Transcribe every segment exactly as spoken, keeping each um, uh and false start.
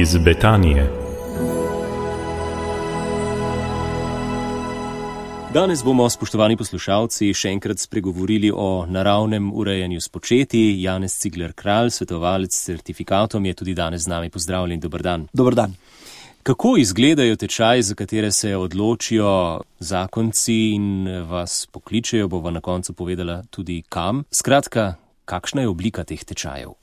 iz Betanije. Danes bomo, spoštovani poslušalci, še enkrat spregovorili o naravnem urejanju s početji. Janez Cigler Kralj, svetovalec s certifikatom, je tudi danes z nami. Pozdravljen, dober dan. Dober dan. Kako izgledajo tečaji, za katere se odločijo zakonci in vas pokličejo, bova na koncu povedala tudi kam? Skratka, kakšna je oblika teh tečajev?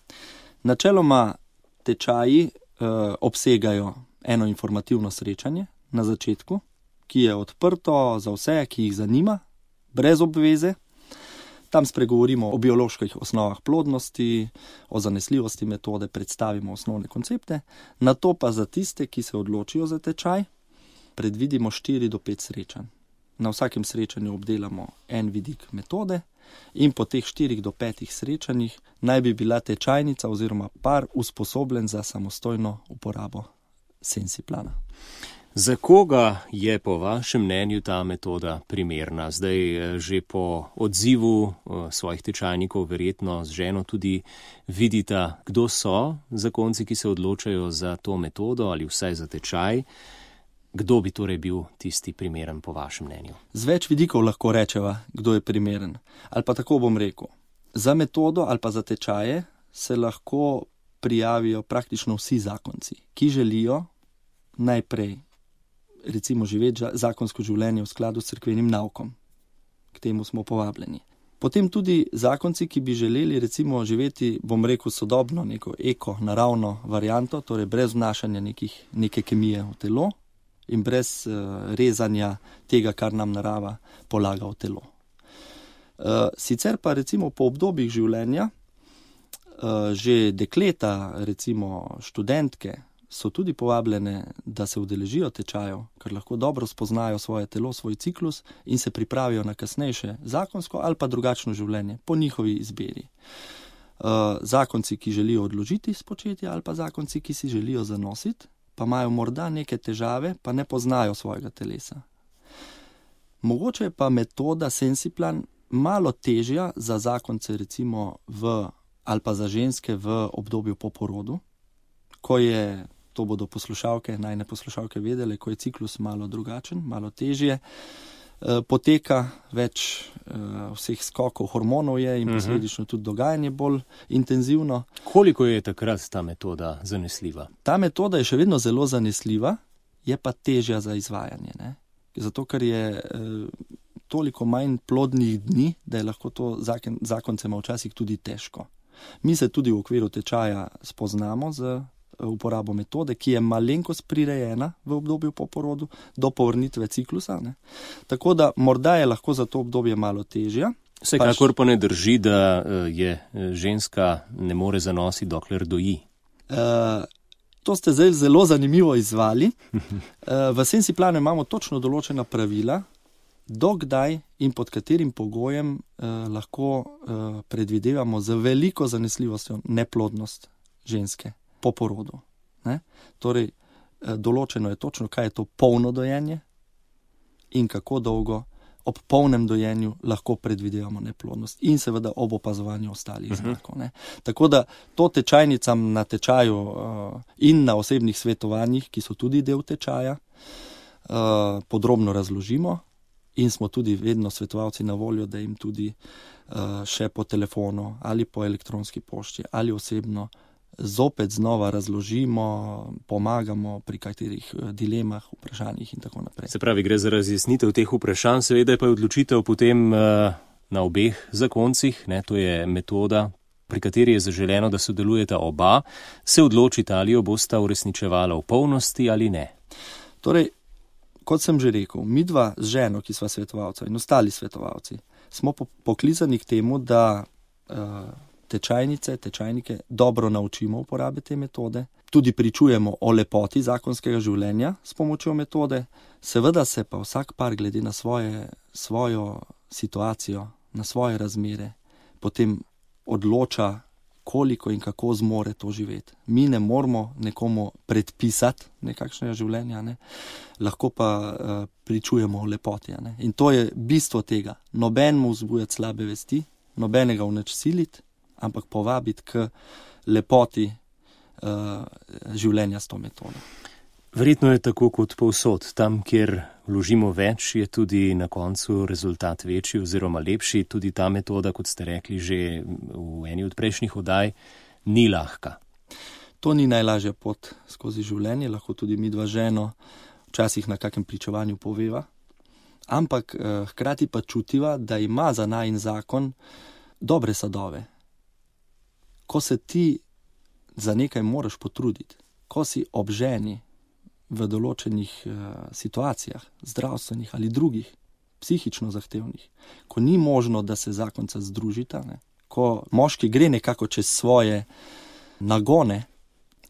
Načeloma tečaji eh, obsegajo eno informativno srečanje na začetku, ki je odprto za vse, ki jih zanima, brez obveze. Tam spregovorimo o bioloških osnovah plodnosti, o zanesljivosti metode, predstavimo osnovne koncepte. Nato pa za tiste, ki se odločijo za tečaj, predvidimo štiri do pet srečanj. Na vsakem srečanju obdelamo en vidik metode in po teh štirih do petih srečanjih naj bi bila tečajnica oziroma par usposobljen za samostojno uporabo Sensiplana. Za koga je po vašem mnenju ta metoda primerna? Zdaj že po odzivu svojih tečajnikov verjetno z ženo tudi vidita, kdo so zakonci, ki se odločajo za to metodo ali vsaj za tečaj. Kdo bi torej bil tisti primeren po vašem mnenju? Z več vidikov lahko rečeva, kdo je primeren. Ali pa tako bom rekel. Za metodo ali pa za tečaje se lahko prijavijo praktično vsi zakonci, ki želijo najprej recimo živeti zakonsko življenje v skladu s cerkvenim naukom. K temu smo povabljeni. Potem tudi zakonci, ki bi želeli recimo živeti, bom rekel, sodobno, neko eko, naravno varianto, torej brez vnašanja nekih, neke kemije v telo in brez uh, rezanja tega, kar nam narava polaga v telo. Uh, sicer pa recimo po obdobjih življenja uh, že dekleta, recimo študentke, so tudi povabljene, da se udeležijo tečajev, ker lahko dobro spoznajo svoje telo, svoj ciklus in se pripravijo na kasnejše zakonsko ali pa drugačno življenje, po njihovi izbiri. Uh, zakonci, ki želijo odložiti spočetje ali pa zakonci, ki si želijo zanositi, pa imajo morda neke težave, pa ne poznajo svojega telesa. Mogoče je pa metoda Sensiplan malo težja za zakonce recimo v, ali pa za ženske v obdobju po porodu, ko je, to bodo poslušalke, najne poslušalke vedele, ko je ciklus malo drugačen, malo težje, e, poteka več e, vseh skokov hormonov je in posledično tudi dogajanje bolj intenzivno. Koliko je takrat ta metoda zanesljiva? Ta metoda je še vedno zelo zanesljiva, je pa težja za izvajanje, ne? Zato, ker je e, toliko manj plodnih dni, da je lahko to zakon, zakoncema včasih tudi težko. Mi se tudi v okviru tečaja spoznamo z uporabo metode, ki je malenkost prirejena v obdobju po porodu do povrnitve ciklusa. Ne? Tako da morda je lahko za to obdobje malo težja. Vsekakor pa ne drži, da je ženska ne more zanositi, dokler doji. Uh, to ste zdaj zelo zanimivo izvali. Uh, v Sensiplanu imamo točno določena pravila, dokdaj in pod katerim pogojem uh, lahko uh, predvidevamo z veliko zanesljivostjo neplodnost ženske po porodu. Ne? Torej, določeno je točno, kaj je to polno dojenje in kako dolgo ob polnem dojenju lahko predvidevamo neplodnost in seveda ob opazovanju ostalih uh-huh. znakov. Ne? Tako da to tečajnicam na tečaju uh, in na osebnih svetovanjih, ki so tudi del tečaja, uh, podrobno razložimo in smo tudi vedno svetovalci na voljo, da jim tudi uh, še po telefonu ali po elektronski pošti ali osebno zopet znova razložimo, pomagamo pri katerih dilemah, vprašanjih in tako naprej. Se pravi, gre za razjasnitev teh vprašanj, seveda pa je odločitev potem uh, na obeh zakoncih, ne, to je metoda, pri kateri je zaželeno, da sodelujeta oba, se odločita, ali jo bosta uresničevala v polnosti ali ne. Torej, kot sem že rekel, midva z ženo, ki sva svetovalca in ostali svetovalci, smo poklicani k temu, da uh, tečajnice, tečajnike dobro naučimo uporabe te metode, tudi pričujemo o lepoti zakonskega življenja s pomočjo metode, seveda se pa vsak par glede na svoje, svojo situacijo, na svoje razmere, potem odloča, koliko in kako zmore to živeti. Mi ne moramo nekomu predpisati nekakšnega življenja, ne? Lahko pa uh, pričujemo o lepoti. Ne? In to je bistvo tega. Nobenemu vzbujati slabe vesti, nobenega v nič siliti, ampak povabiti k lepoti uh, življenja s to metodo. Verjetno je tako kot povsod. Tam, kjer vložimo več, je tudi na koncu rezultat večji oziroma lepši. Tudi ta metoda, kot ste rekli že v eni od prejšnjih oddaj, ni lahka. To ni najlažja pot skozi življenje, lahko tudi mi dva ženo včasih na kakem pričevanju poveva, ampak eh, hkrati pa čutiva, da ima za najin zakon dobre sadove. Ko se ti za nekaj moraš potruditi, ko si ob ženi v določenih uh, situacijah, zdravstvenih ali drugih, psihično zahtevnih, ko ni možno, da se zakonca združita, ne? Ko moški gre nekako čez svoje nagone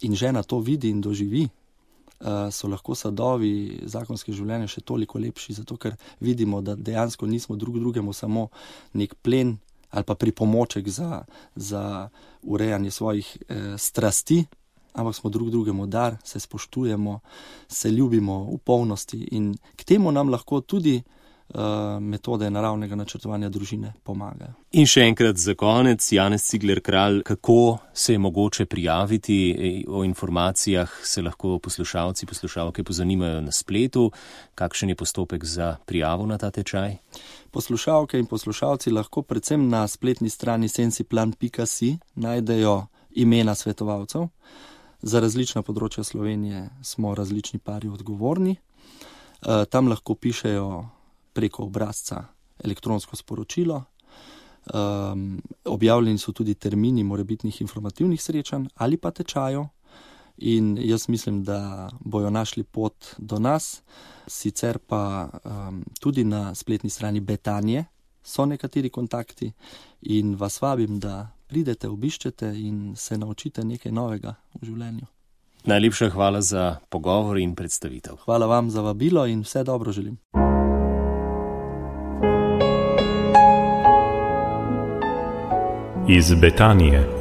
in žena to vidi in doživi, uh, so lahko sadovi zakonske življenja še toliko lepši, zato ker vidimo, da dejansko nismo drug drugemu samo nek plen ali pa pripomoček za, za urejanje svojih eh, strasti, ampak smo drug drugemu dar, se spoštujemo, se ljubimo v polnosti in k temu nam lahko tudi uh, metode naravnega načrtovanja družine pomagajo. In še enkrat za konec, Janez Cigler Kralj, kako se je mogoče prijaviti, o informacijah se lahko poslušalci, poslušalke pozanimajo na spletu, kakšen je postopek za prijavo na ta tečaj? Poslušalke in poslušalci lahko predvsem na spletni strani sensiplan pika si najdejo imena svetovalcev. Za različna področja Slovenije smo različni pari odgovorni. E, tam lahko pišejo preko obrazca elektronsko sporočilo. E, objavljeni so tudi termini morebitnih informativnih srečanj ali pa tečajev. In jaz mislim, da bojo našli pot do nas. Sicer pa um, tudi na spletni strani Betanje so nekateri kontakti in vas vabim, da pridete, obiščete in se naučite nekaj novega v življenju. Najlepša hvala za pogovor in predstavitev. Hvala vam za vabilo in vse dobro želim. Iz Betanije.